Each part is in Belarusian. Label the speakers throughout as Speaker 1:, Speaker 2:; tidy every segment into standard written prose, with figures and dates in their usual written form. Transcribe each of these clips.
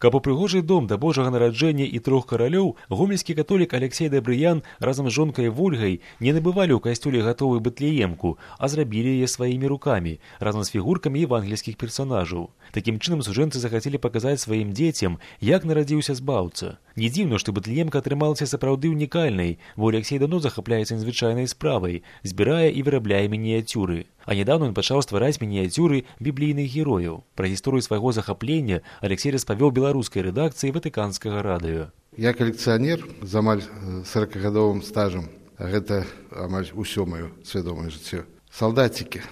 Speaker 1: Каб упрыгожыць дом да Божага нараджэння і трох каралёў, гомельскі католік Алексей Дабрыян разам з жонкай Вольгай не набывалі ў касцёле гатовую Бэтлеемку, а зрабілі яе сваімі рукамі, разам з фігуркамі евангельскіх персонажаў. Такім чынам сужэнцы захацелі паказаць сваім дзецям, як нарадзіўся збаўца. Не дзіўна, што Бэтлеемка атрымалася сапраўды унікальнай, бо Алексей даўно захапляецца незвычайнай справай, збірае і вырабляе мініяцюры. А нядаўна ён пачаў ствараць мініяцюры біблійных герояў. Пра гісторыю свайго захаплення Алексей распавёў беларускай рэдакцыі Ватыканскага радыё.
Speaker 2: Я калекцыянер з амаль 40гадовым стажам, а гэта амаль усё маё свядомае жыццё. Салдацікі.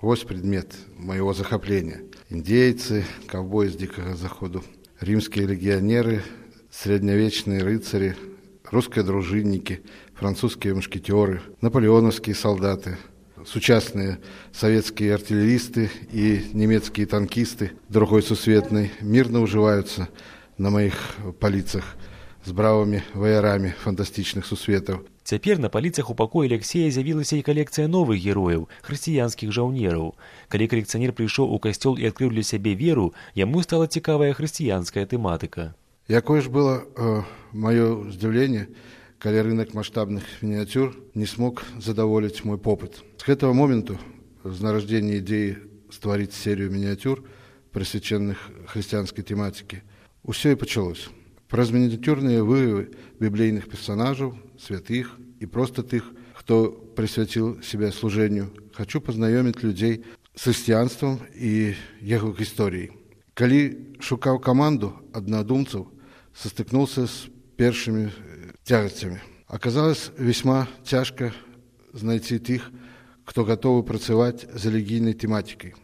Speaker 2: Вось предмет майго захаплення. Індзейцы, каўбоі з дзікага заходу, рымскія легіянеры, среднявечныя рыцары, рускія дружыннікі, французскія мушкетёры, напалеонаўскія салдаты, сучасныя савецкія артылерісты і нямецкія танкісты другой сусветнай мірна ўжываюцца на маіх паліцах з бравымі ваярамі фантастычных сусветаў.
Speaker 1: Цяпер на паліцах у пакоі Алексея з'явілася і калекцыя новых герояў, хрысціянскіх жаўнераў. Калі калекцыянер прыйшоў у касцёл і адкрыў для сябе веру, яму стала цікавая хрысціянская тэматыка.
Speaker 2: Якое ж было маё здзіўленне, калі рынок маштабных мініяцюр не смог задаволіць мой попыт. С гэтага моменту, з нараджэння ідзеі стварыць серыю мініяцюр, прысвячаных хрысціянскай тэматыкі, усё і пачалося. Праз мініяцюрныя вырывы біблейных персонажаў, святых і проста тых, хто прысвяціў сябе служэнню, хачу пазнаёміць людзей з хрысціянствам і яго гісторыяй. Калі шукаў каманду аднадумцаў, састыкнуўся з першымі цягасцямі. Аказалось весьма цяжка знайти тых, хто готовы працаваць з рэлігійнай тэматыкай.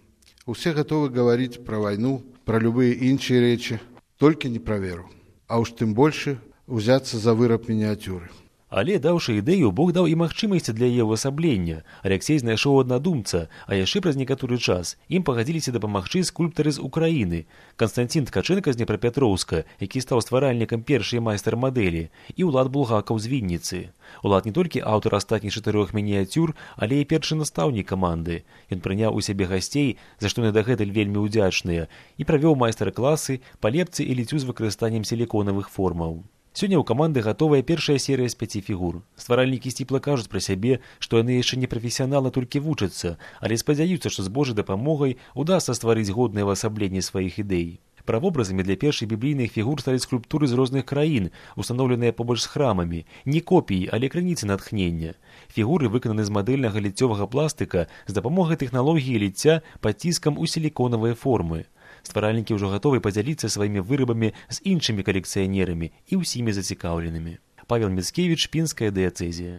Speaker 2: Усе готовы гаварыць пра вайну, пра любыя іншыя рэчы, толькі не пра веру. А уж тым больше узяцца за выраб мініяцюры.
Speaker 1: Але, даўшы ідэю, Бог даў і магчымасці для яе ўвасаблення. Алексей знайшоў аднадумца, а яшчэ праз некаторы час ім пагадзіліся дапамагчы скульптары з Украіны. Канстантин Ткаченка з Днепрапятроўска, які стаў стваральнікам першай майстар-мадэлі, і Улад Булгакаў з Вінніцы. Улад не толькі аўтар астатніх 4 мініяцюр, але і першы настаўнік каманды. Ён прыняў у сябе гасцей, за што яны дагэтуль вельмі ўдзячныя, і правёў майстар-класы па лепцы і ліццю з выкарыстаннем сіліконавых формаў. Сёння ў каманды гатовая першая серыя з 5 фігур. Стваральнікі сціпла кажуць пра сябе, што яны яшчэ не прафесіяналы, толькі вучацца, але спадзяюцца, што з Божай дапамогай удасца стварыць годнае ўвасабленне сваіх ідэй. Правобразамі для першай біблійных фігур сталі скульптуры з розных краін, устаноўленыя побач з храмамі, не копіі, але крыніцы натхнення. Фігуры выкананы з мадэльнага ліццёвага пластыка з дапамогай тэхналогіі ліцця пад ціскам у сіліконавыя формы. Стваральнікі ўжо гатовы падзяліцца сваімі вырабамі з іншымі калекцыянерамі і ўсімі зацікаўленымі. Павел Міцкевіч, Пінская дыяцэзія.